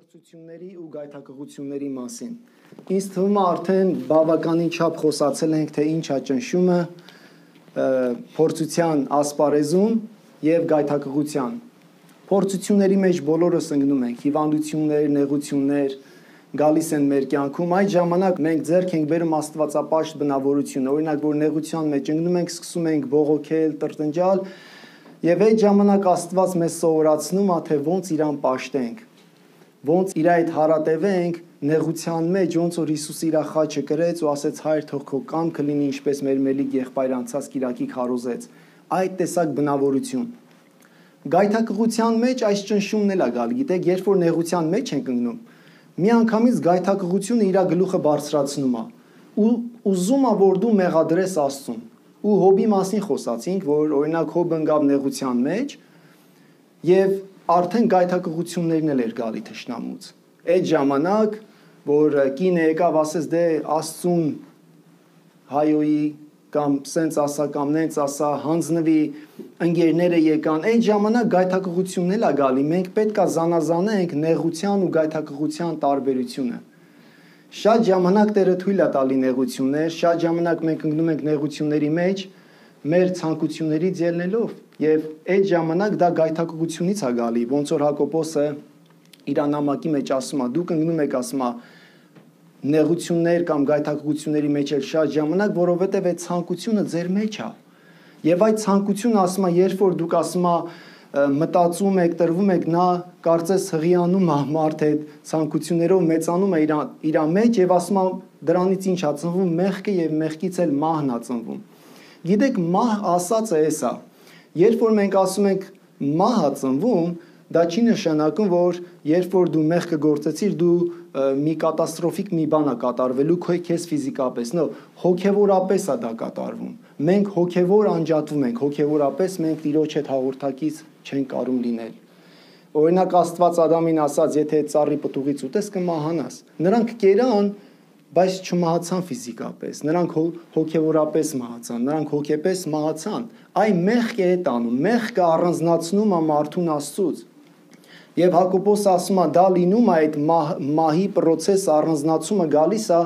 Փորձությունների ու գայթակղությունների մասին։ Ինձ թվում է արդեն բավականին չափ խոսացել ենք, թե ինչ է ճնշումը փորձության ասպարեզում եւ գայթակղության։ Փորձությունների մեջ բոլորս ընկնում ենք, հիվանդություններ, նեղություններ գալիս են մեր կյանքում, այդ ժամանակ մենք ձեռք ենք բերում աստվածապաշտ բնավորությունը, օրինակ որ նեղության մեջ ընկնում ենք, սկսում ենք բողոքել, տրտնջալ, եւ այդ ժամանակ Աստված մեզ սովորացնում է, թե ոնց իրան պաշտենք, ոնց իր այդ հարատևենք նեղության մեջ, ոնց որ Հիսուսը իր խաչը կրեց ու ասեց Հայր թող քո կամքը լինի ինչպես մեր մելիք եղբայր անցած Կիրակի քարոզեց, այդ տեսակ բնավորություն։ Գայթակղության մեջ այս ճնշումն էլ է գալ, գիտեք, երբ որ նեղության մեջ ենք ընկնում, միանգամից գայթակղությունը իր գլուխը բարձրացնում է ու ուզում է որ դու մեղադրես Աստծուն։ Ու Հոբի մասին խոսացինք, որ օրինակ Հոբը ընկավ նեղության մեջ եւ արդեն գայթակղություններն էլ էր գալի թշնամուց։ Այդ ժամանակ, որ կինը եկավ ասեց դե Աստծուն հայոյի կամ սենց ասա կամ նենց ասա, հանձնվի, ընկերները եկան, այդ ժամանակ գայթակղությունն էլ է գալի, մենք պետք է զանազանենք նեղության ու գայթակղության տարբերությունը։ Շատ ժամանակ Տերը թույլ է տալի նեղություններ, շատ ժամանակ մենք ընկնում ենք նեղությունների մեջ, մեր ցանկություններից ելնելով, եւ այդ ժամանակ դա գայթակղությունից է գալի, ոնց որ Հակոբոսը իր նամակի մեջ ասում է, դուք ընկնում եք, ասում է, նեղություններ կամ գայթակղությունների մեջ էլ շատ ժամանակ, որովհետեւ այդ ցանկությունը ձեր մեջ է։ Եվ այդ ցանկությունը ասում է, երբ որ դուք ասում է մտածում եք, տրվում եք, նա կարծես հղիանում է մարդ այդ ցանկություններով մեծանում է իր մեջ եւ ասում է դրանից ինչ է ծնվում մեղքը եւ մեղքից էլ մահն է ծնվում։ Գիտեք, մահ ասածը էսա։ Երբ որ մենք ասում ենք մահ է ծնվում, դա չի նշանակում, որ երբ որ դու մեղքը գործեցիր, դու մի կատաստրոֆիկ մի բան է կատարվելու քեզ ֆիզիկապես, նո, հոգեվորապես է դա կատարվում։ Մենք հոգեվոր անջատվում ենք, հոգեվորապես մենք Տիրոջ հետ հաղորդակից չենք կարող լինել։ Օրինակ Աստված Ադամին ասաց, եթե ծառի պտուղից ուտես կմահանաս։ Նրանք կերան, բայց չմահացան ֆիզիկապես, նրանք հոգեվորապես մահացան, նրանք հոգեպես մահացան։ Այն մեղքը է տանում, մեղքը առանձնացնում է մարդուն Աստծուց։ Եվ Հակոբոս ասում է, դա լինում է այդ մահի process առանձնացումը գալիս է,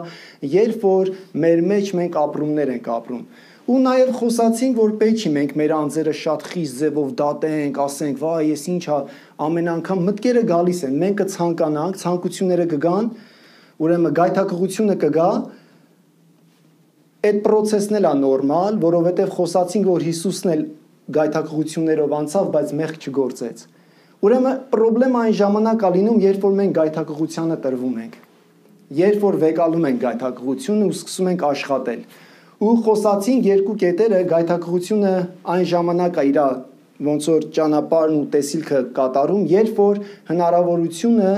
երբ որ մեր մեջ մենք ապրումներ ենք ապրում։ Ու նաև խոսացինք, որ պետք չի մենք մեր անձերը շատ խիստ ձևով դատենք, ասենք, վայ, ես ինչա, ամեն անգամ մտքերը գալիս են, մենք կցանկանանք, ցանկությունները կգան, ուրեմն գայթակղությունը կգա, այդ process-ն էլ է նորմալ, որովհետև խոսացինք, որ Հիսուսն էլ գայթակղություններով անցավ, բայց մեղք չգործեց։ Ուրեմն խնդրեմ այն ժամանակ է լինում, երբ որ մենք գայթակղությանը տրվում ենք, երբ որ վեկալում ենք գայթակղությունը ու սկսում ենք աշխատել։ Ու խոսացինք երկու կետերը, գայթակղությունը այն ժամանակ է իր ոնց որ ճանապարհն ու տեսիլքը կատարում, երբ որ հնարավորությունը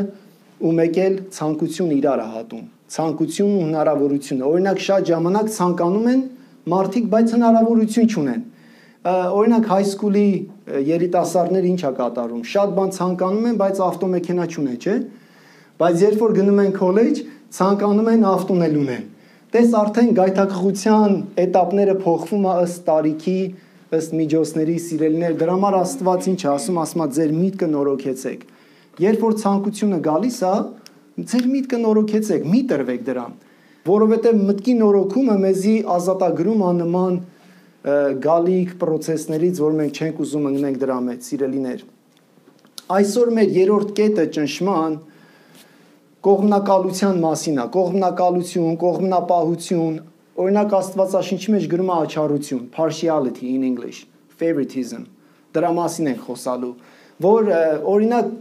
ու մեկ էլ ցանկությունը իրար է հատում։ Ցանկությունն ու հնարավորությունը։ Օրինակ շատ ժամանակ ցանկանում են մարդիկ, բայց հնարավորություն չունեն։ Օրինակ հայսկուլի երիտասարդները ինչ է կատարում։ Շատ բան ցանկանում են, բայց ավտոմեքենա չունեն, չէ՞։ Բայց երբ որ գնում են քոլեջ, ցանկանում են ավտոն էլ ունեն։ Տես արդեն գայթակղության էտապները փոխվում է ըստ տարիքի, ըստ միջոցների, սիրելիներ, դրա համար Աստված ինչ է ասում, ասում է ձեր միտքը նորոգեցեք։ Երբ որ ցանկությունը գալիս է, ձեր միտքը նորոգեցեք, մի տրվեք դրան, որովհետև մտքի նորոգումը մեզի ազատագրում է նման գալիք process-ներից, որ մենք չենք ուզում ընկնենք դրա մեջ, սիրելիներ։ Այսօր մեր երրորդ կետը ճնշման կողմնակալության մասին է, կողմնակալություն, կողմնապահություն, օրինակ Աստվածաշնչի մեջ գրում է աչառություն, partiality in English, favoritism, դրա մասին ենք խոսալու, որ օրինակ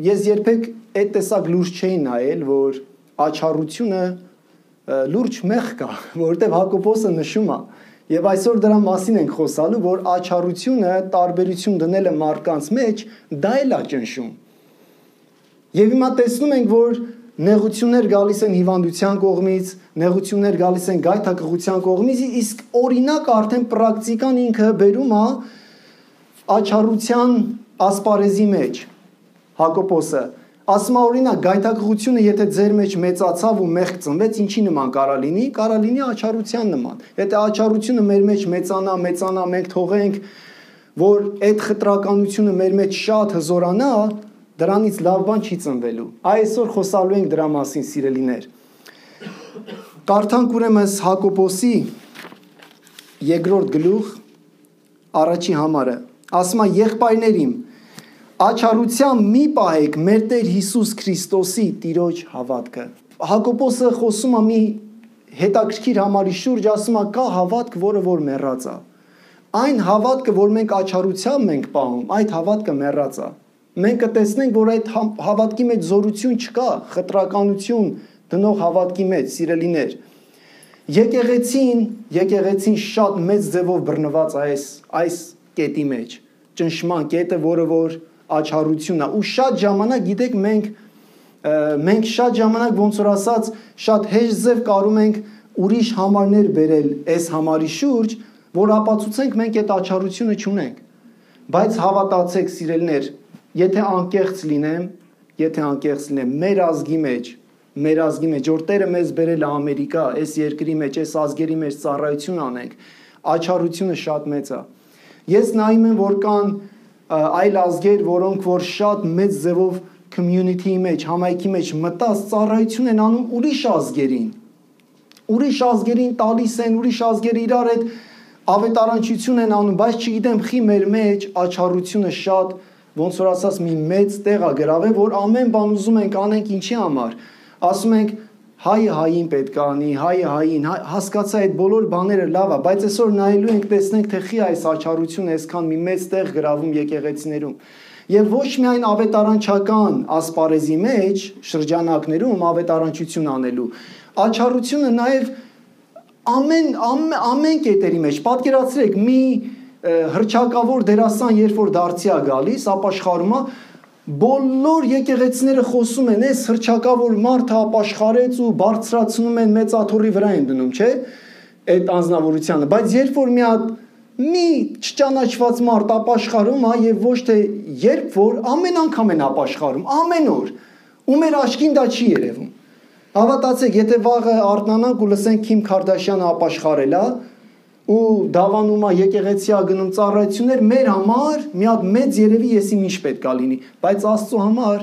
ես երբեք այդ տեսակ լուրջ չէի նայել, որ աչառությունը լուրջ մեղք կա, որովհետև Հակոբոսը նշում է, եւ այսօր դրա մասին ենք խոսալու, որ աչառությունը տարբերություն դնելը մարդկանց մեջ, դա էլ է ճնշում։ Եվ հիմա տեսնում ենք, որ նեղություններ գալիս են հիվանդության կողմից, նեղություններ գալիս են գայթակղության կողմից, իսկ օրինակ արդեն պրակտիկան ինքը բերում է աչառության ասպարեզի մեջ։ Հակոբոսը ասում է օրինակ գայթակղությունը եթե ձեր մեջ մեծացավ ու մեղք ծնվեց, ինչի նման կարա լինի աչառության նման։ Եթե աչառությունը մեր մեջ մեծանա, մենք թողենք, որ այդ խտրականությունը մեր մեջ շատ հզորանա, Դրանից լավ բան չի ծնվելու։ Այսօր խոսալու ենք դրա մասին, սիրելիներ։ Կարդանք ուրեմն Հակոբոսի 2-րդ գլուխ առաջի համարը։ Ասում է. եղբայրներիմ, աչառությամբ մի պահեք մեր Տեր Հիսուս Քրիստոսի Տիրոջ հավատքը։ Հակոբոսը խոսում է մի հետաքրքիր համարի շուրջ, ասում է կա հավատք, որը որ մեռած է։ Այն հավատքը, որ մենք աչառությամբ ենք պահում, այդ հավատքը մեռած է։ Մենք կտեսնենք, որ այդ հավատքի մեջ զորություն չկա, խտրականություն դնող հավատքի մեջ, սիրելիներ։ Եկեղեցին շատ մեծ ձևով բռնված այս կետի մեջ, ճնշման կետը, որը որ աչառությունն է, ու շատ ժամանակ, գիտեք, մենք շատ ժամանակ, ոնց որ ասած, շատ հեշտ ձև կարում ենք ուրիշ համարներ բերել այս համարի շուրջ, որ ապացուցենք մենք այդ աչառությունը չունենք։ Բայց հավատացեք, սիրելիներ, եթե անկեղծ լինեմ, մեր ազգի մեջ, որ Տերը մեզ բերել է Ամերիկա, այս երկրի մեջ, այս ազգերի մեջ ծառայություն անենք, աչառությունը շատ մեծ է։ Ես նայում եմ, որ կան այլ ազգեր, որոնք որ շատ մեծ ձևով community-ի մեջ, համայնքի մեջ մտած ծառայություն են անում ուրիշ ազգերին տալիս են, ուրիշ ազգերը իրար հետ ավետարանչություն են անում, բայց չգիտեմ, խի մեր մեջ աչառությունը շատ, ոնց որ ասած, մի մեծ տեղ է գրավել, որ ամեն բան ուզում ենք անենք ինչի համար։ Ասում ենք հայը հային պետք է անի, հայը հային, հասկացա այդ բոլոր բաները լավ է, բայց այսօր նայելու ենք, տեսնենք, թե խի այս աչառությունը այսքան մի մեծ տեղ գրավում եկեղեցիներում։ Եվ ոչ միայն ավետարանչական ասպարեզի մեջ, շրջանակներում ավետարանչություն անելու, աչառությունը նաև ամեն կետերի մեջ, պատկերացրեք, մի հռչակավոր դերասան, երբ որ դարձի է գալիս, ապաշխարում է, բոլոր եկեղեցիները խոսում են, այս հռչակավոր մարդը ապաշխարեց ու բարձրացնում են մեծ աթոռի վրա են դնում, չէ՞, այդ անձնավորությանը, բայց երբ որ մի չճանաչված մարդ ապաշխարում է եւ ոչ թե երբ որ ամեն անգամ են ապաշխարում, ամեն օր, ու մեր աչքին դա չի երևում։ Հավատացեք, եթե վաղը արթնանանք ու լսենք Քիմ Քարդաշյանը ապաշխարել է ու դավանում է եկեղեցի է գնում ծառայություններ, մեր համար մի հատ մեծ երևի եսի ինչ պետք է լինի, բայց Աստծո համար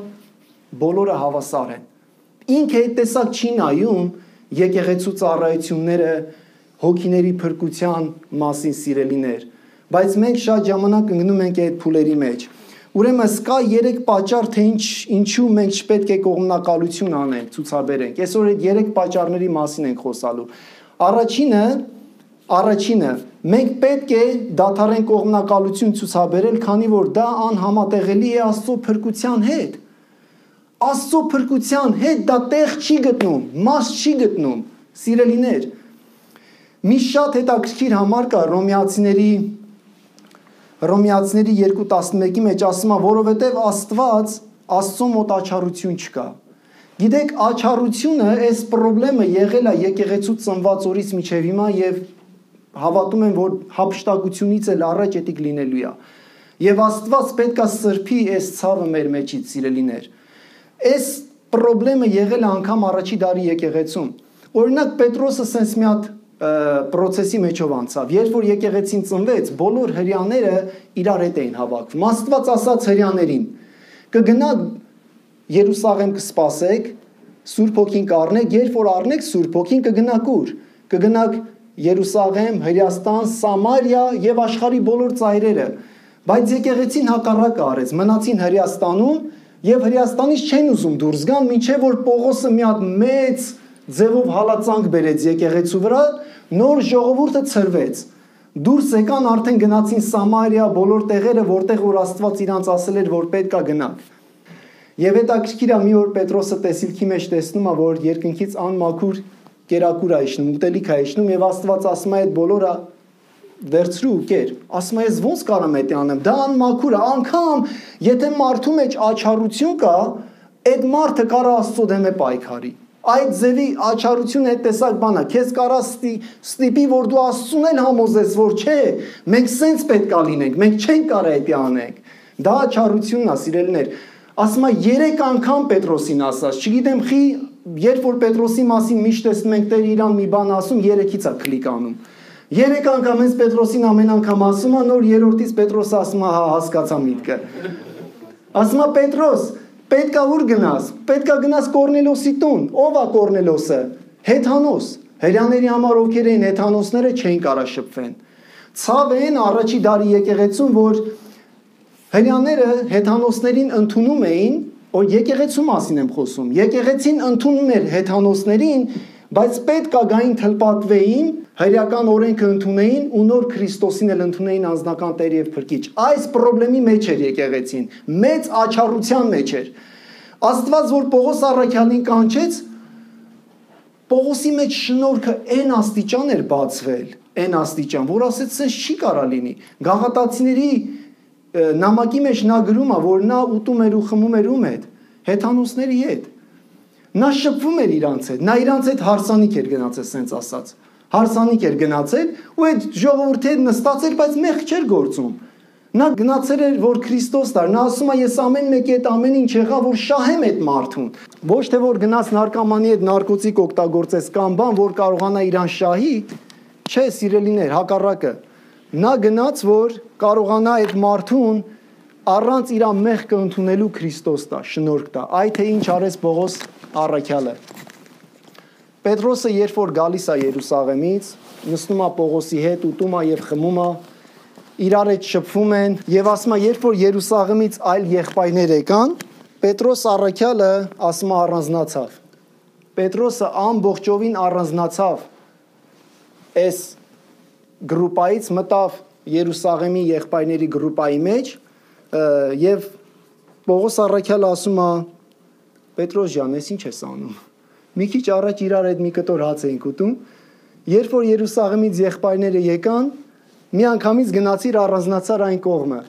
բոլորը հավասար են։ Ինքը այդ տեսակ չի նայում եկեղեցու ծառայությունները հոգիների փրկության մասին, սիրելիներ, բայց մենք շատ ժամանակ ընկնում ենք այդ փուլերի մեջ։ Ուրեմն կա 3 պատճառ, թե ինչու մենք չպետք է կողմնակալություն անենք, ցուցաբերենք։ Այսօր այդ 3 պատճառների մասին ենք խոսալու։ Առաջինը, մենք պետք է դադարենք կողմնակալություն ցուցաբերել, քանի որ դա անհամատեղելի է Աստծո փրկության հետ։ Աստծո փրկության հետ դա տեղ չի գտնում, մաս չի գտնում, սիրելիներ։ Մի շատ հետաքրքիր համար կա Հռոմեացիների 2:11-ի մեջ ասում է, որովհետև Աստված Աստծո մոտ աչառություն չկա։ Գիտեք, աչառությունը, այս խնդրեմը եղել է եկեղեցու ծնված օրից մինչև հիմա եւ հավատում եմ, որ հափշտակությունից էլ առաջ էդիկ լինելու է։ Եվ Աստված պետքա սրբի այս ցավը մեր մեջից, սիրելիներ։ Այս խնդրեմը եղել է անգամ առաջի դարի եկեղեցում։ Օրինակ Պետրոսը sense մի հատ process-ի մեջով անցավ։ Երբ որ եկեղեցին ծնվեց, բոլոր հрьяաները իրար հետ էին հավաքվում։ Աստված ասաց հрьяաներին. կգնաք Երուսաղեմ կսպասեք, Սուրբ Հոգին կառնեք, երբ որ առնեք Սուրբ Հոգին կգնաք ուր։ Կգնաք Երուսաղեմ, Հրեաստան, Սամարիա եւ աշխարհի բոլոր ծայրերը։ Բայց եկեղեցին հակառակը արեց, մնացին Հրեաստանում եւ Հրեաստանից չեն ուզում դուրս գան, մինչեւ որ Պողոսը մի հատ մեծ ձևով հալածանք բերեց եկեղեցու վրա, նոր ժողովուրդը ցրվեց։ Դուրս եկան, արդեն գնացին Սամարիա, բոլոր տեղերը, որտեղ որ Աստված իրանց ասել էր, որ պետք է գնանք։ Եվ հետաքրքիր է, մի օր Պետրոսը տեսիլքի մեջ տեսնում է, որ երկնքից անմաքուր կերակուր է իջնում, ուտելիք է իջնում, եւ Աստված ասում է այդ բոլորը վերցրու ու կեր։ Ասում է, ես ոնց կարամ էդ անեմ, դա անմաքուր է, անգամ եթե մարդու մեջ աչառություն կա, այդ մարդը կարա Աստծո դեմ է պայքարի։ Այդ ձևի աչառությունը այդ տեսակ բան է, քեզ կարա ստիպի, որ դու Աստծուն էլ համոզես, որ չէ, մենք սենց պետք է լինենք, մենք չենք կարա դա անենք։ Դա աչառությունն է, սիրելիներ։ Ասում է 3 անգամ Պետրոսին ասած, չգիտեմ խի, երբ որ Պետրոսի մասին միշտ տեսնում ենք Տեր իրան մի բան ասում, 3-ից է կլիկ անում։ 3 անգամ հենց Պետրոսին ամեն անգամ ասում է, նոր 3-ից Պետրոսը ասում է, հա, հասկացա միտքը։ Ասում է Պետրոս, Պետքա ուր գնաս։ Պետքա գնաս Կորնելոսի տուն։ Ո՞վ է Կորնելոսը։ Հեթանոս։ Հրեաների համար ովքեր էին հեթանոսները չէին կարող շփվեն։ Ցավ են առաջի դարի եկեղեցում, որ հրեաները հեթանոսներին ընդունում էին, որ եկեղեցու մասին եմ խոսում։ Եկեղեցին ընդունում էր հեթանոսներին, բայց պետք է գային թլպատվեին, հրեական օրենքը ընդունեին ու նոր Քրիստոսին էլ ընդունեին անձնական Տեր եւ Փրկիչ։ Այս խնդրի մեջ էր եկեղեցին, մեծ աչառության մեջ էր։ Աստված որ Պողոս առաքյալին կանչեց, Պողոսի մեջ շնորհքը այն աստիճան էր բացվել, այն աստիճան, որ ասեց, սենց չի կարա լինի։ Գաղատացիների նամակի մեջ նա գրում է, որ նա ուտում էր ու խմում էր ում հետ, հեթանոսների հետ։ Նա շփվում էր իրանց հետ, նա իրանց հետ հարսանիք էր գնացել, սենց ասած։ Հարսանիք էր գնացել ու այդ ժողովրդի հետ նստած էր, բայց մեղք չէր գործում։ Նա գնացել էր, որ Քրիստոս դար, նա ասում է, ես ամեն մեկի հետ ամեն ինչ եղա, որ շահեմ այդ մարդուն։ Ոչ թե որ գնաց նարկոմանի հետ նարկոտիկ օգտագործես կամ բան, որ կարողանա իրան շահի, չէ, սիրելիներ, հակառակը։ Նա գնաց, որ կարողանա այդ մարդուն առանց իր մեղքը ընդունելու Քրիստոս տա, շնորհք տա։ Այդ թե ինչ արեց Պողոս առաքյալը։ Պետրոսը երբ որ գալիս է Երուսաղեմից, նստում է Պողոսի հետ, ուտում է եւ խմում է, իրար հետ շփվում են եւ ասում է, երբ որ Երուսաղեմից այլ եղբայրներ եկան, Պետրոս առաքյալը ասում է առանձնացավ։ Պետրոսը ամբողջովին առանձնացավ այս գրուպայից, մտավ Երուսաղեմի եղբայրների գրուպայի մեջ եւ Պողոս առաքյալը ասում է, Պետրոս ջան, ես ինչ ես անում։ Մի քիչ առաջ իրար հետ մի կտոր հաց էինք ուտում, երբ որ Երուսաղեմից եղբայրները եկան, մի անգամից գնացիր առանձնացար այն կողմը։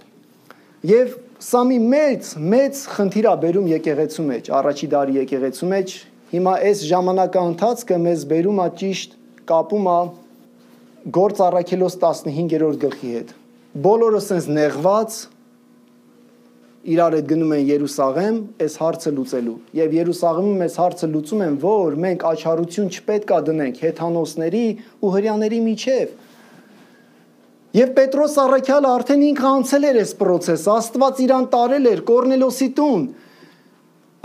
Եվ սա մի մեծ խնդիր է բերում եկեղեցու մեջ, առաջի դարի եկեղեցու մեջ։ Հիմա այս ժամանակա ընթացքը մեզ բերում է ճիշտ կապում է Գործ առաքելոց 15-րդ գլխի հետ։ Բոլորը սենց նեղված իրար հետ գնում են Երուսաղեմ այս հարցը լուծելու։ Եվ Երուսաղեմում այս հարցը լուծում են, որ մենք աչառություն չպետք է դնենք հեթանոսների ու հրեաների միջև։ Եվ Պետրոս առաքյալը արդեն ինքը անցել էր այս process-ը, Աստված իրան տարել էր Կորնելոսի տուն։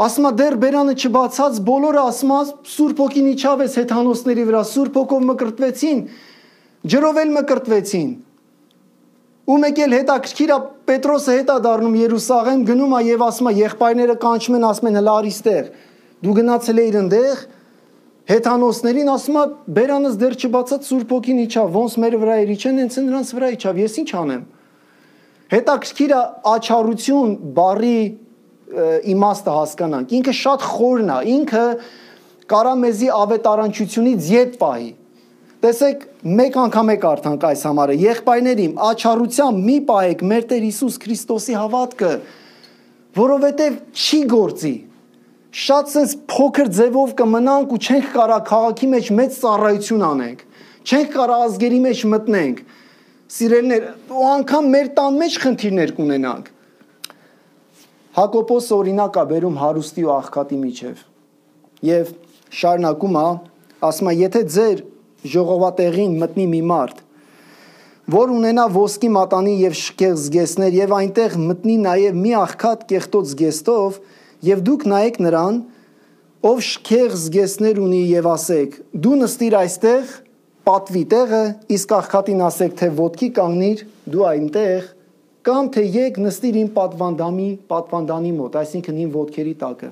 Ասում է դեռ բերանը չբացած, բոլորը ասում է Սուրբ Հոգին իջավ այս հեթանոսների վրա, Սուրբ Հոգով մկրտվեցին, ջրով էլ մկրտվեցին։ Ու մեկ էլ հետաքրքիր է Պետրոսը հետ է դառնում Երուսաղեմ, գնում է եւ ասում է եղբայրները կանչում են, ասում են հլա արիստեղ։ Դու գնացել էիր այնտեղ, հեթանոսներին ասում է բերանս դեռ չբացած Սուրբ Հոգին իջավ, ոնց մեր վրա էր իջան, հենց նրանց վրա իջավ, ես ինչ անեմ։ Հետաքրքիր է աչառություն բառի իմաստը հասկանանք։ Ինքը շատ խորն է, ինքը կարա մեզի ավետարանչությունից ետ պահի։ Տեսեք, մեկ անգամ եք արդանք այս համարը, եղբայրներիմ, աչառությամբ մի պահեք մեր Տեր Հիսուս Քրիստոսի հավատքը, որովհետև չի գործի։ Շատ սենց փոքր ձևով կմնանք ու չենք կարա քաղաքի մեջ մեծ ծառայություն անենք, չենք կարա ազգերի մեջ մտնենք, սիրելիներ, ու անգամ մեր տան մեջ խնդիրներ կունենանք։ Հակոբոս օրինակ է բերում հարուստի ու աղքատի միջև եւ շարունակում է, ասում է, եթե ձեր ժողովատեղին մտնի մի մարդ, որ ունենա ոսկի մատանի եւ շքեղ զգեստներ եւ այնտեղ մտնի նաեւ մի աղքատ կեղտոտ զգեստով եւ դուք նայեք նրան, ով շքեղ զգեստներ ունի եւ ասեք. դու նստիր այստեղ, պատվի տեղը, իսկ աղքատին ասեք, թե ոտքի կանգնիր, դու այնտեղ, կամ թե եկ նստիր իմ պատվանդանի մոտ, այսինքն իմ ոտքերի տակը։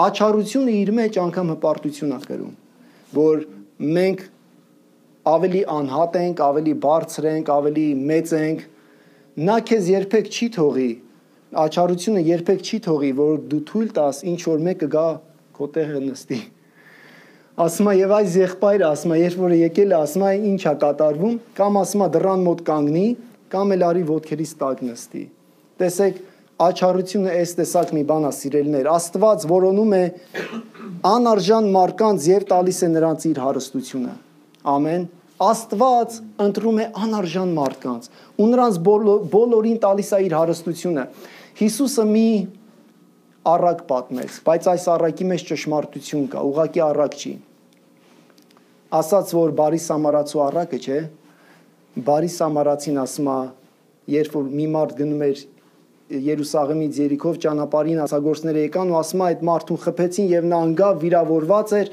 Աչառությունը իր մեջ անգամ հպարտություն է կրում, որ մենք ավելի անհատ ենք, ավելի բարձր ենք, ավելի մեծ ենք, նա քեզ երբեք չի թողի, աչառությունը երբեք չի թողի, որ դու թույլ տաս ինչ որ մեկը գա քո տեղը նստի։ Ասում է եւ այս եղբայրը ասում է, երբ որ եկել է, ասում է ինչ է կատարվում, կամ ասում է դռան մոտ կանգնի, կամ էլ արի ոտքերից տակ նստի։ Տեսեք, աչառությունը այս տեսակ մի բան է, սիրելիներ, Աստված որոնում է անարժան մարդկանց եւ տալիս է նրանց իր հարստությունը։ Ամեն։ Աստված ընտրում է անարժան մարդկանց ու նրանց բոլորին տալիս է իր հարստությունը։ Հիսուսը մի առակ պատմեց, բայց այս առակի մեջ ճշմարտություն կա, ուղղակի առակ չի։ Ասաց, որ բարի սամարացու առակը, չէ՞, բարի սամարացին ասում է, երբ որ մի մարդ գնում էր Երուսաղեմից Երիքով ճանապարհին ասագործները եկան ու ասում այդ մարդուն խփեցին եւ նա անգավ վիրավորված էր։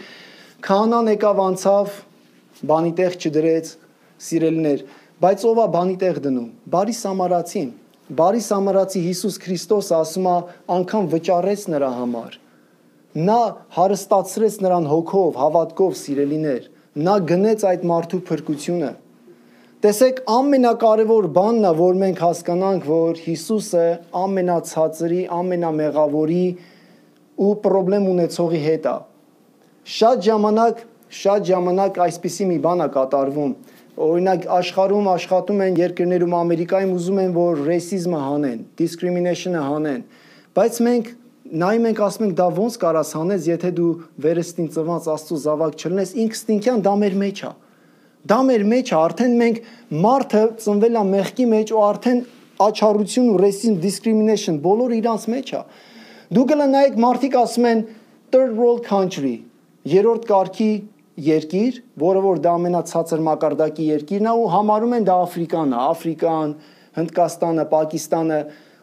Քահանան եկավ անցավ, բանի տեղ չդրեց, սիրելիներ, բայց ով է բանի տեղ դնում։ Բարի Սամարացին։ Բարի Սամարացի Հիսուս Քրիստոսը ասում է անգամ վճարեց նրա համար։ Նա հարստացրեց նրան հոգով, հավատքով, սիրելիներ։ Նա գնեց այդ մարդու փրկությունը։ Տեսեք, ամենակարևոր բանն է, որ մենք հասկանանք, որ Հիսուսը ամենացածրի, ամենամեղավորի ու պրոբլեմ ունեցողի հետ է։ Շատ ժամանակ այսպիսի մի բան է կատարվում։ Օրինակ աշխարհում աշխատում են երկրներում Ամերիկայում ուզում են, որ ռեյսիզմը հանեն, discrimination-ը հանեն, բայց մենք նայում ենք ասում ենք դա ոնց կարաս հանես, եթե դու վերստին ծնված Աստծո զավակ չլնես, ինքստինքյան դա մեր մեջ է։ Դա մեր մեջ է, արդեն մենք մարդը ծնվել է մեղքի մեջ ու արդեն աչառություն ու racism, discrimination բոլորը իրանց մեջ է։ Դու կլնայեք մարդիկ ասում են third world country, երրորդ կարգի երկիր, որը որ դա ամենացածր մակարդակի երկիրն է ու համարում են դա Աֆրիկան, Հնդկաստանը, Պակիստանը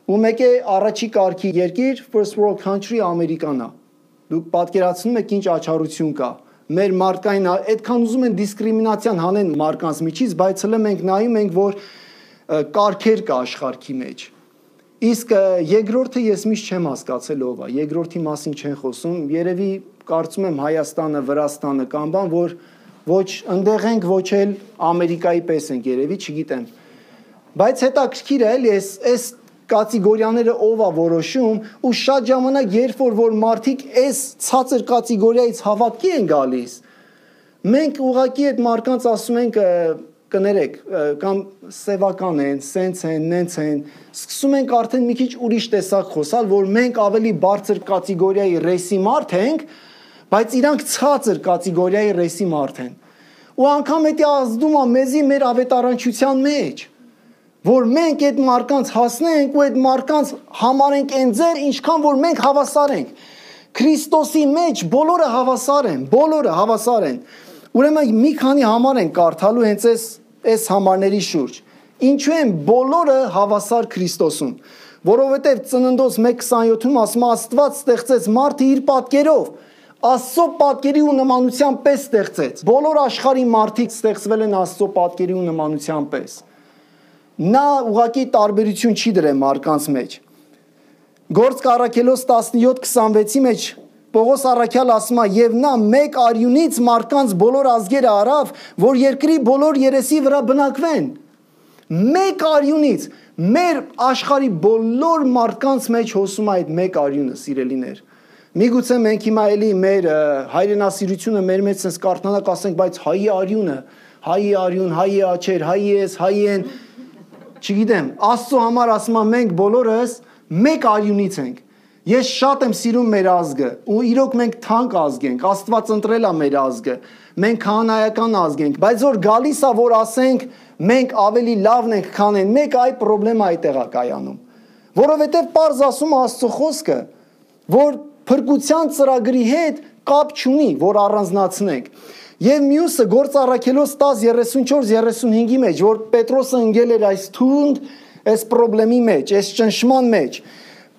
ու մեկ է առաջի կարգի երկիր first world country Ամերիկան է։ Դուք պատկերացնում եք ինչ աչառություն կա։ Մեր մարդկային այդքան ուզում են դիսկրիմինացիան հանեն մարդկանց միջից, բայց հələ մենք նայում ենք, որ կարգեր կա աշխարհի մեջ։ Իսկ երկրորդը ես միշտ չեմ հասկացել ով է։ Երկրորդի մասին չեն խոսում։ Երևի կարծում եմ Հայաստանը, Վրաստանը կամ բան, որ ոչ ընդեղ ենք, ոչ էլ Ամերիկայի պես ենք երևի, չգիտեմ։ Բայց հետաքրքիր է, էլի այս կատեգորիաները ով է որոշում ու շատ ժամանակ երբ որ մարդիկ այս ցածր կատեգորիայից հավատքի են գալիս, մենք ուղղակի այդ մարդկանց ասում ենք կներեք կամ սևական են, սենց են, նենց են, սկսում ենք արդեն մի քիչ ուրիշ տեսակ խոսալ, որ մենք ավելի բարձր կատեգորիայի ռեյսի մարդ ենք, բայց իրանք ցածր կատեգորիայի ռեյսի մարդ են։ Ու անգամ դա ազդում է մեզի մեր ավետարանչության մեջ, որ մենք այդ մարդկանց հասնենք ու այդ մարդկանց համարենք այն ձեր, ինչքան որ մենք հավասար ենք։ Քրիստոսի մեջ բոլորը հավասար են։ Ուրեմն մի քանի համար են կարդալու հենց այս համարների շուրջ։ Ինչու են բոլորը հավասար Քրիստոսում։ Որովհետև Ծննդոց 1:27-ում ասում է Աստված ստեղծեց մարդը իր պատկերով, Աստծո պատկերի ու նմանության պես ստեղծեց։ Բոլոր աշխարհի մարդիկ ստեղծվել են Աստծո պատկերի ու նմանության պես։ Նա ուղղակի տարբերություն չի դրել մարդկանց մեջ։ Գործք Առաքելոց 17:26-ի մեջ Պողոս Առաքյալ ասում է եւ նա մեկ արյունից մարդկանց բոլոր ազգերը արավ, որ երկրի բոլոր երեսի վրա բնակվեն։ Մեկ արյունից մեր աշխարհի բոլոր մարդկանց մեջ հոսում է այդ մեկ արյունը, սիրելիներ։ Միգուցե մենք հիմա էլի մեր հայրենասիրությունը մեր մեջ sense կարդանակ ասենք, բայց հայի արյունը, հայի արյուն, հայի աչեր, հայի ես, հայի են, չգիտեմ, Աստծո համար ասում եմ մենք բոլորս մեկ արյունից ենք։ Ես շատ եմ սիրում մեր ազգը, ու իրոք մենք թանկ ազգ ենք, Աստված ընտրել է մեր ազգը, մենք քահանայական ազգ ենք, բայց որ գալիս է որ ասենք մենք ավելի լավն ենք, քան են մեկ, այ խնդրեմը այդտեղ է կայանում։ Որովհետև պարզ ասում է Աստծո խոսքը, որ փրկության ծրագրի հետ կապ չունի, որ առանձնացնենք։ Եվ մյուսը Գործ Առաքելոց 10:34-35-ի մեջ, որ Պետրոսը ընկել էր այս թունդ, այս խնդրի մեջ, այս ճնշման մեջ։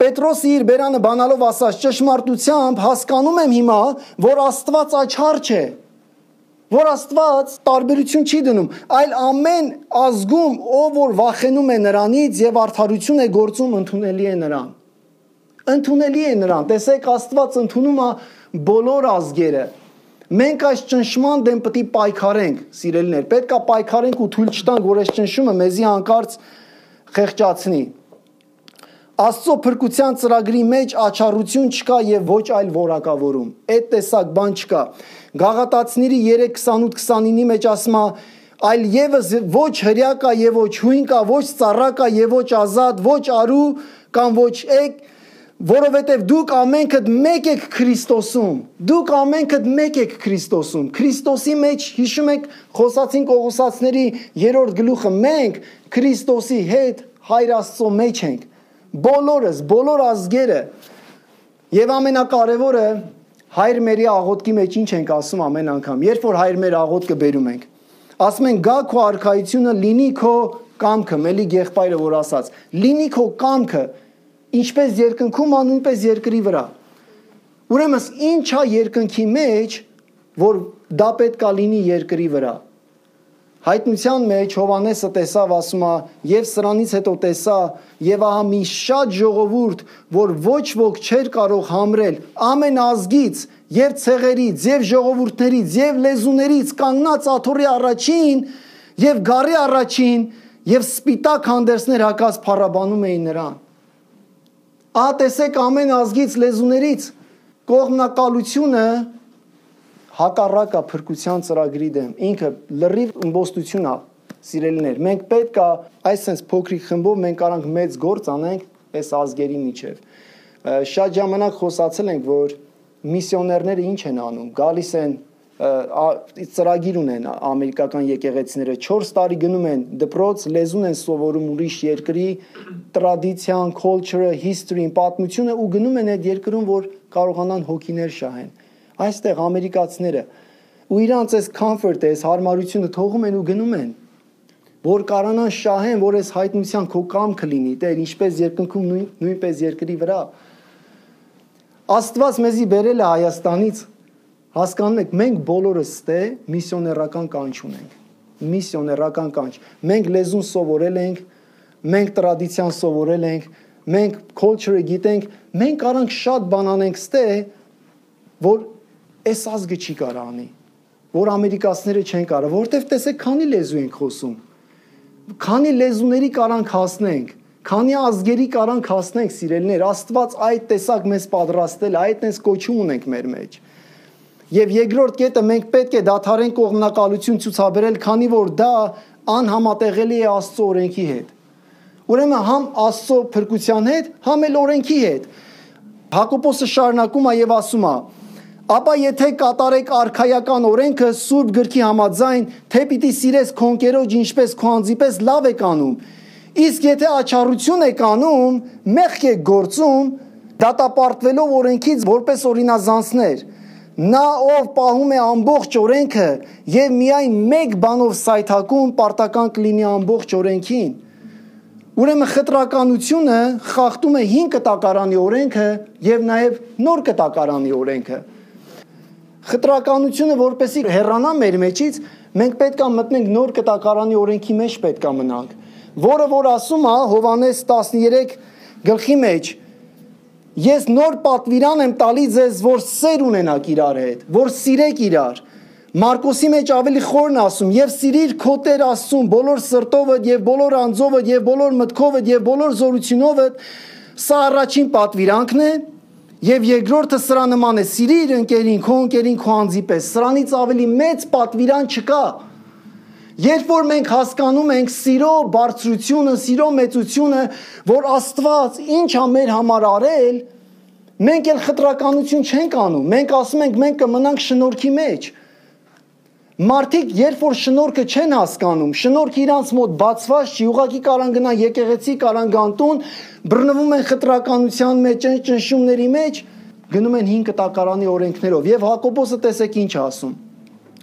Պետրոսը իր բերանը բանալով ասաց. ճշմարտությամբ հասկանում եմ հիմա, որ Աստված աչառ չէ, որ Աստված տարբերություն չի դնում, այլ ամեն ազգում ով որ վախենում է նրանից եւ արդարություն է գործում, ընդունելի է նրան։ Ընդունելի է նրան։ Տեսեք, Աստված ընդունում է բոլոր ազգերը։ Մենք այս ճնշման դեմ պետք է պայքարենք, սիրելիներ։ Պետք է պայքարենք ու թույլ չտանք, որ այս ճնշումը մեզի հանկարծ խեղճացնի։ Աստծո փրկության ծրագրի մեջ աչառություն չկա եւ ոչ այլ որակավորում։ Այդ տեսակ բան չկա։ Գաղատացիների 3:28-29-ի մեջ ասում է. այլ եւս ոչ հրյա կա եւ ոչ հույն կա, ոչ ծառա կա եւ ոչ ազատ, ոչ արու կամ ոչ էկ, որովհետև դուք ամենքդ մեկ եք Քրիստոսում։ Դուք ամենքդ մեկ եք Քրիստոսում։ Քրիստոսի մեջ հիշում եք Խոսացին Կողոսացիների 3-րդ գլուխը, մենք Քրիստոսի հետ Հայր Աստծո մեջ ենք։ Բոլորս, բոլոր ազգերը։ Եվ ամենակարևորը Հայր մերի աղոթքի մեջ ինչ ենք ասում ամեն անգամ, երբ որ Հայր մեր աղոթքը բերում ենք։ Ասում ենք գա քո արքայությունը, լինի քո կամքը, մելի եղբայրը որ ասաց, լինի քո կամքը, Ինչպես երկնքում, նույնպես երկրի վրա։ Ուրեմն ինչ է երկնքի մեջ, որ դա պետք է լինի երկրի վրա։ Հայտնության մեջ Հովհաննեսը տեսավ, ասում է, եւ սրանից հետո տեսա, եւ ահա մի շատ ժողովուրդ, որ ոչ ոք չէր կարող համրել, ամեն ազգից, եւ ցեղերից, եւ ժողովուրդներից, եւ լեզուներից կանգնած աթոռի առաջին, եւ գառի առաջին, եւ սպիտակ հանդերձներ հակած փառաբանում էին նրան։ Ահա տեսեք ամեն ազգից, լեզուներից կողմնակալությունը հակառակը փրկության ծրագրի դեմ, ինքը լրիվ ըմբոստություն է, սիրելիներ։ Մենք պետք է այսպես փոքրիկ խմբով մենք կարանք մեծ գործ անենք այս ազգերի միջև։ Շատ ժամանակ խոսացել ենք, որ միսիոներները ինչ են անում, գալիս են ծրագիր ունեն ամերիկական եկեղեցիները 4 տարի գնում են դպրոց, լեզուն են սովորում ուրիշ երկրի տրադիցիան, culture-ը, history-ն, պատմությունը ու գնում են այդ երկրում, որ կարողանան հոգիներ շահեն։ Այստեղ ամերիկացիները ու իրանց այս comfort-ը, այս հարմարությունը թողում են ու գնում են, որ կարողանան շահեն, որ այս հայտնության քո կամքը լինի, Տեր, ինչպես երկնքում նույնպես երկրի վրա։ Աստված մեզի բերել է Հայաստանից, հասկանում եք, մենք բոլորս ստե միսիոներական կանչ ունենք, միսիոներական կանչ։ Մենք լեզուն սովորել ենք, մենք տրադիցիան սովորել ենք, մենք culture-ը գիտենք, մենք կարանք շատ բան անենք ստե, որ այս ազգը չի կարող անի, որ ամերիկացիները չեն կարող, որովհետև տեսեք քանի լեզու ենք խոսում, քանի լեզուների կարանք հասնենք, քանի ազգերի կարանք հասնենք, սիրելիներ, Աստված այդ տեսակ մեզ պատրաստել, այդ տես կոչում ունենք մեր մեջ։ Եվ երկրորդ կետը մենք պետք է դադարենք կողմնակալություն ցուցաբերել, քանի որ դա անհամատեղելի է Աստծո օրենքի հետ։ Ուրեմն համ Աստծո փրկության հետ, համ էլ օրենքի հետ։ Հակոբոսը շարունակում է եւ ասում է. ապա եթե կատարեք արքայական օրենքը Սուրբ գրքի համաձայն, թե պիտի սիրես քո ընկերոջ ինչպես քո անձիպես լավ եք անում, իսկ եթե աչառություն եք անում, մեղք եք գործում, դատապարտվելով օրենքից որպես օրինազանցներ, նա ով պահում է ամբողջ օրենքը եւ միայն մեկ բանով սայթակում, պարտական կլինի ամբողջ օրենքին։ Ուրեմն խտրականությունը խախտում է 5 կտակարանի օրենքը եւ նաեւ նոր կտակարանի օրենքը։ Խտրականությունը որպեսի հեռանա մեր մեջից, մենք պետք է մտնենք նոր կտակարանի օրենքի մեջ պետք է մնանք, որը որ ասում է Հովհաննես 13 գլխի մեջ, ես նոր պատվիրան եմ տալի ձեզ, որ սեր ունենաք իրար հետ, որ սիրեք իրար։ Մարկոսի մեջ ավելի խորն ասում, եւ սիրիր քո Տեր Աստծուն բոլոր սրտովդ եւ բոլոր անձովդ եւ բոլոր մտքովդ եւ բոլոր զորությունովդ, սա առաջին պատվիրանքն է, եւ երկրորդը սրա նման է, սիրիր ընկերին, քո անձի պես, սրանից ավելի մեծ պատվիրան չկա։ Երբ որ մենք հասկանում ենք սիրո բարձրությունը, սիրո մեծությունը, որ Աստված ինչ է մեր համար արել, մենք էլ խտրականություն չենք անում, մենք ասում ենք մենք կմնանք շնորհքի մեջ։ Մարդիկ երբ որ շնորհքը չեն հասկանում, շնորհքը իրանց մոտ բացված չի, ուղղակի կարան գնան եկեղեցի, կարան գան տուն, բռնվում են խտրականության մեջ, ճնշումների մեջ, գնում են 5 կտակարանի օրենքներով։ Եվ Հակոբոսը տեսեք ինչ ասում։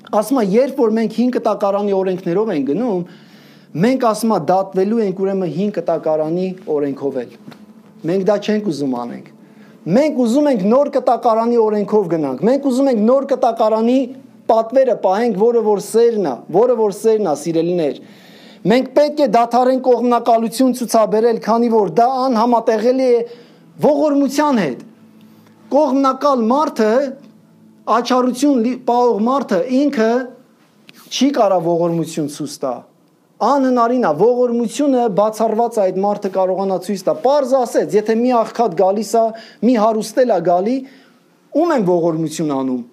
Ասում է, երբ որ մենք 5 կտակարանի օրենքներով ենք գնում, մենք ասում է դատվելու ենք ուրեմն 5 կտակարանի օրենքով էլ։ Մենք դա չենք ուզում անենք։ Մենք ուզում ենք նոր կտակարանի օրենքով գնանք։ Մենք ուզում ենք նոր կտակարանի պատվերը պահենք, որը որ սերն է, սիրելիներ։ Մենք պետք է դադարենք կողմնակալություն ցուցաբերել, քանի որ դա անհամատեղելի է ողորմության հետ։ Կողմնակալ մարդը, աչառություն պահող մարդը ինքը չի կարող ողորմություն ցույց տա։ Անհնարին է, ողորմությունը բացառված այդ մարդը կարողանա ցույց տա։ Պարզ ասեց, եթե մի աղքատ գալիս է, մի հարուստել է գալի, ում են ողորմություն անում։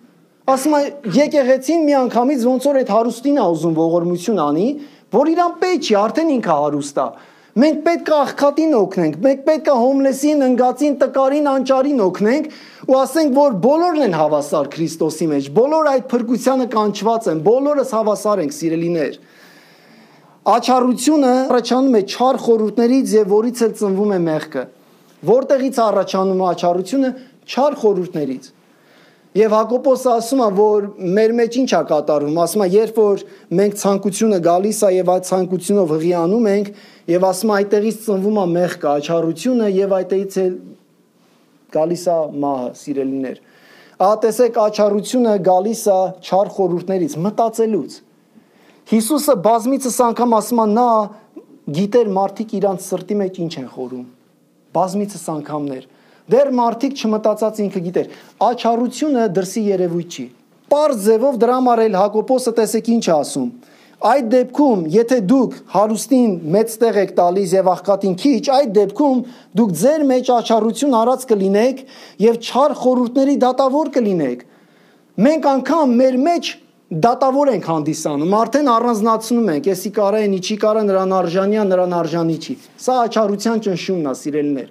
Ասում է եկեղեցին մի անգամից ոնց որ այդ հարուստին է ուզում ողորմություն անի, որ իրան պետք չի, արդեն ինքը հարուստ է։ Մենք պետք է աղքատին օգնենք, մենք պետք է հոմլեսին, ընգածին, տկարին, անճարին օգնենք ու ասենք, որ բոլորն են հավասար Քրիստոսի մեջ, բոլոր այդ փրկությանը կանչված են, բոլորս հավասար ենք, սիրելիներ։ Աչառությունը առաջանում է չար խորհուրդներից եւ որից էլ ծնվում է մեղքը։ Որտեղից առաջանում է աչառությունը? Չար խորհուրդներից։ Եվ Հակոբոսը ասում է, որ մեր մեջ ինչ է կատարվում, ասում է, երբ որ մենք ցանկությունը գալիս է եւ այդ ցանկությունով հղիանում ենք եւ ասում է այդտեղից ծնվում է մեղքը, աչառությունը եւ այդտեղից էլ գալիս է մահը, սիրելիներ։ Ահա տեսեք, աչառությունը գալիս է չար խորհուրդներից, մտածելուց։ Հիսուսը բազմիցս անգամ ասում է, նա գիտեր մարդիկ իրանց սրտի մեջ ինչ են խորում։ Բազմիցս անգամներ։ Դեռ մարդիկ չմտածած ինքը գիտեր։ Աչառությունը դրսի երևույթ չի։ Պարզ ձևով դրա համար էլ Հակոբոսը տեսեք ինչ ասում։ Այդ դեպքում, եթե դուք հարուստին մեծ տեղ եք տալիս եւ աղքատին քիչ, այդ դեպքում դուք ձեր մեջ աչառություն արած կլինեք եւ չար խորհուրդների դատավոր կլինեք։ Մենք անգամ մեր մեջ դատավոր ենք հանդիսանում, արդեն առանձնացնում ենք, եսի կարա են, իչի կարա, նրան արժանի է, նրան արժանի չի։ Սա աչառության ճնշումն է, սիրելիներ։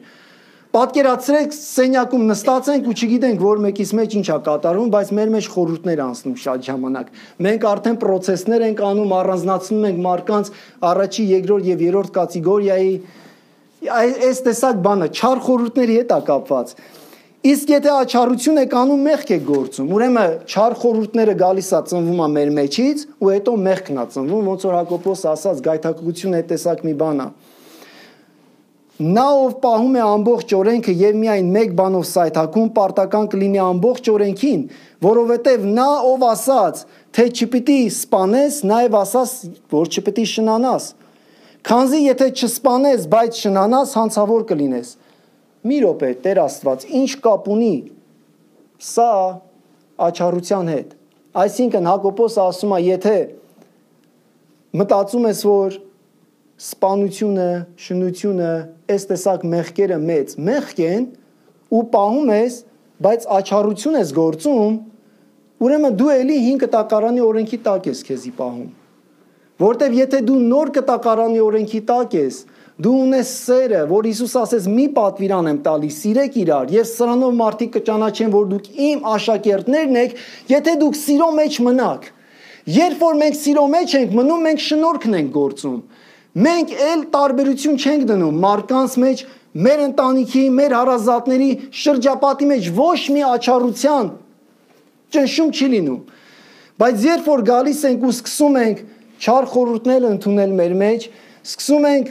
Պատկերացրեք, սենյակում նստած ենք ու չգիտենք, որ մեկից մեջ ինչ է կատարվում, բայց մեր մեջ խորհուրդներ անցնում շատ ժամանակ։ Մենք արդեն պրոցեսներ ենք անում, առանձնացնում ենք մարդկանց առաջի, երկրորդ եւ երրորդ կատեգորիայի այս տեսակ բանը, չար խորհուրդների հետ է կապված։ Իսկ եթե աչառություն եք անում, մեղք եք գործում։ Ուրեմն չար խորհուրդները գալիս է ծնվում է մեր մեջից ու հետո մեղքն է ծնվում, ոնց որ Հակոբոս ասաց, գայթակղությունը այդ տեսակ մի բան է։ Նա ով պահում է ամբողջ օրենքը եւ միայն մեկ բանով սայթաքում, պարտական կլինի ամբողջ օրենքին, որովհետեւ նա ով ասաց, թե չպիտի սպանես, նաեւ ասաց, որ չպիտի շնանաս։ Քանզի եթե չսպանես, բայց շնանաս, հանցավոր կլինես։ Մի րոպե, Տեր Աստված, ինչ կապ ունի սա աչառության հետ։ Այսինքն Հակոբոսը ասում է, եթե մտածում ես, որ սպանությունը, շնությունը, այս տեսակ մեղքերը մեծ մեղք են ու պահում ես, բայց աչառություն ես գործում, ուրեմն դու էլի 5 կտակարանի օրենքի տակ ես քեզի պահում։ Որտեվ եթե դու նոր կտակարանի օրենքի տակ ես, դու ունես սերը, որ Հիսուս ասեց՝ մի պատվիրան եմ տալիս, սիրեք իրար, եւ սրանով մարդիկ կճանաչեն, որ դուք իմ աշակերտներն եք, եթե դուք սիրո մեջ մնաք։ Երբ որ մենք սիրո մեջ ենք մնում, մենք շնորհքն ենք գործում։ Մենք էլ տարբերություն չենք դնում մարդկանց մեջ, մեր ընտանիքի, մեր հարազատների շրջապատի մեջ ոչ մի աչառության ճնշում չի լինում։ Բայց երբ որ գալիս ենք ու սկսում ենք չար խորհուրդներ ընդունել մեր մեջ, սկսում ենք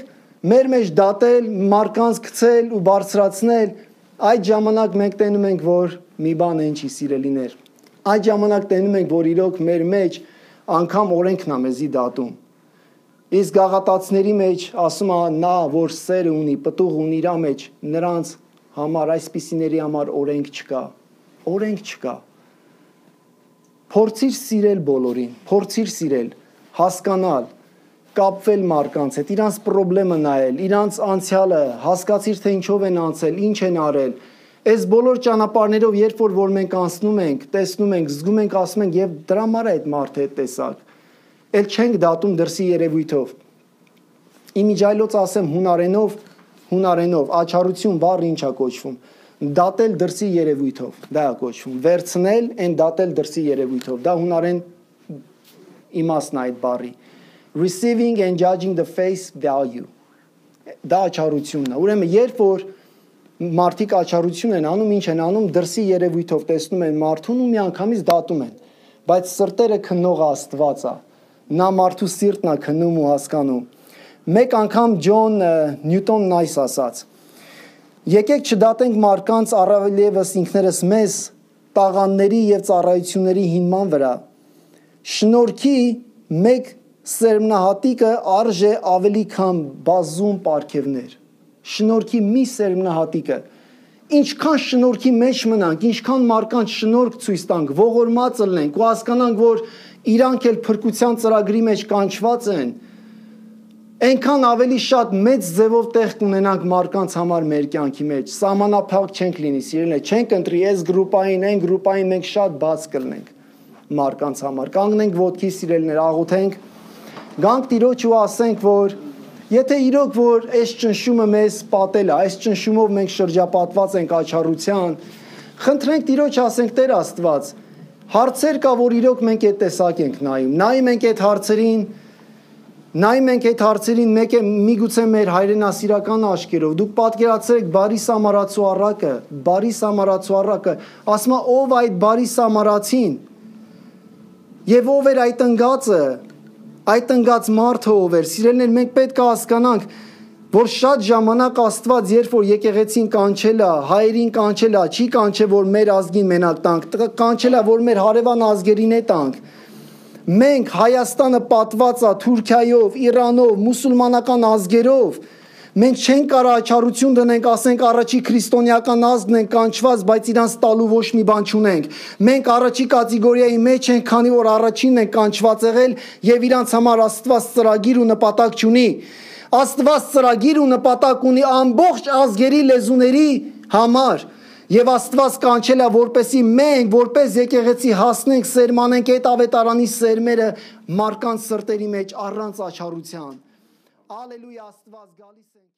մեր մեջ դատել, մարդկանց գցել ու բարձրացնել, այդ ժամանակ մենք տենում ենք, որ մի բան են չի, սիրելիներ։ Այդ ժամանակ տենում ենք, որ իրոք մեր մեջ անգամ օրենքն է մեզի դատում։ Իսկ գաղատացիների մեջ ասում է նա, որ սերը ունի, պտուղ ունի իր մեջ, նրանց համար, այսպիսիների համար օրենք չկա։ Օրենք չկա։ Փորձիր սիրել բոլորին, փորձիր սիրել, հասկանալ, կապվել մարդկանց հետ, իրանց պրոբլեմը նայել, իրանց անցյալը, հասկացիր, թե ինչով են անցել, ինչ են արել։ Այս բոլոր ճանապարհներով, երբ որ մենք անցնում ենք, տեսնում ենք, զգում ենք, ասում ենք, եւ դրա համար է այդ մարդը այդ տեսակ։ Էլ չենք դատում դրսի երևույթով։ Իմիջայլոց ասեմ հունարենով, աչառություն բառը ինչ է կոչվում։ Դատել դրսի երևույթով, դա է կոչվում։ Վերցնել են դատել դրսի երևույթով։ Դա հունարեն իմաստն է այդ բառի։ Receiving and judging the face value. Դա աչառությունն է։ Ուրեմն երբ որ մարդիկ աչառություն են անում, ինչ են անում, դրսի երևույթով տեսնում են մարդուն ու միանգամից դատում են։ Բայց սրտերը քննողը Աստված է։ Նա մարդու սիրտն է քննում ու հասկանում։ Մեկ անգամ Ջոն Նյուտոնն այս ասաց. եկեք չդատենք մարդկանց առավել ևս ինքներս մեզ տաղանների եւ ծառայությունների հիման վրա։ Շնորհքի մեկ սերմնահատիկը արժե ավելի քան բազում պարգևներ։ Շնորհքի մի սերմնահատիկը։ Ինչքան շնորհքի մեջ մնանք, ինչքան մարդկանց շնորհք ցույց տանք, ողորմած լինենք ու հասկանանք, որ իրանք էլ փրկության ծրագրի մեջ կանչված են, այնքան ավելի շատ մեծ ձևով տեղ կունենանք մարդկանց համար մեր կյանքի մեջ։ Սահմանափակ չենք լինի, սիրելիներ, չենք ընտրի այս գրուպային, այն գրուպային, մենք շատ բաց կլինենք մարդկանց համար։ Կանգնենք ոտքի, սիրելիներ, աղոթենք, գանք Տիրոջ ու ասենք, որ եթե իրոք որ այս ճնշումը մեզ պատել է, այս ճնշումով մենք շրջապատված ենք աչառության, խնդրենք Տիրոջ, ասենք Տեր Աստված, հարցեր կա, որ իրոք մենք այդ տեսակ ենք նայում։ Նայում ենք այդ հարցերին Նայ մենք այդ հարցերին մեկ է միգուցե մեր հայրենասիրական աչքերով դուք պատկերացրեք բարի սամարացու առակը, ասма ով այդ բարի սամարացին եւ ով էր այդ ընկած մարդը ով էր։ Սիրելիներ, մենք պետք է հասկանանք, որ շատ ժամանակ Աստված, երբ որ եկեղեցին կանչել է, հայերին կանչել է, չի կանչել, որ մեր ազգին մենակ տանք, կանչել է, որ մեր հարևան ազգերին է տանք։ Մենք Հայաստանը պատված է Թուրքիայով, Իրանով, մուսուլմանական ազգերով։ Մենք չենք կարող աչառություն դնենք, ասենք առաջի քրիստոնեական ազգն են կանչված, բայց իրանց տալու ոչ մի բան չունենք։ Մենք առաջի կատեգորիայի մեջ ենք, քանի որ առաջինն են կանչված եղել եւ իրանց համար Աստված ծրագիր ու նպատակ չունի։ Աստված ծրագիր ու նպատակ ունի ամբողջ ազգերի լեզուների համար։ Եվ Աստված կանչել է, որպեսի մենք, որպես եկեղեցի հասնենք, սերմանենք այդ ավետարանի սերմերը մարդկանց սրտերի մեջ առանց աչառության։ Ալելույա, Աստված գալիս ենք։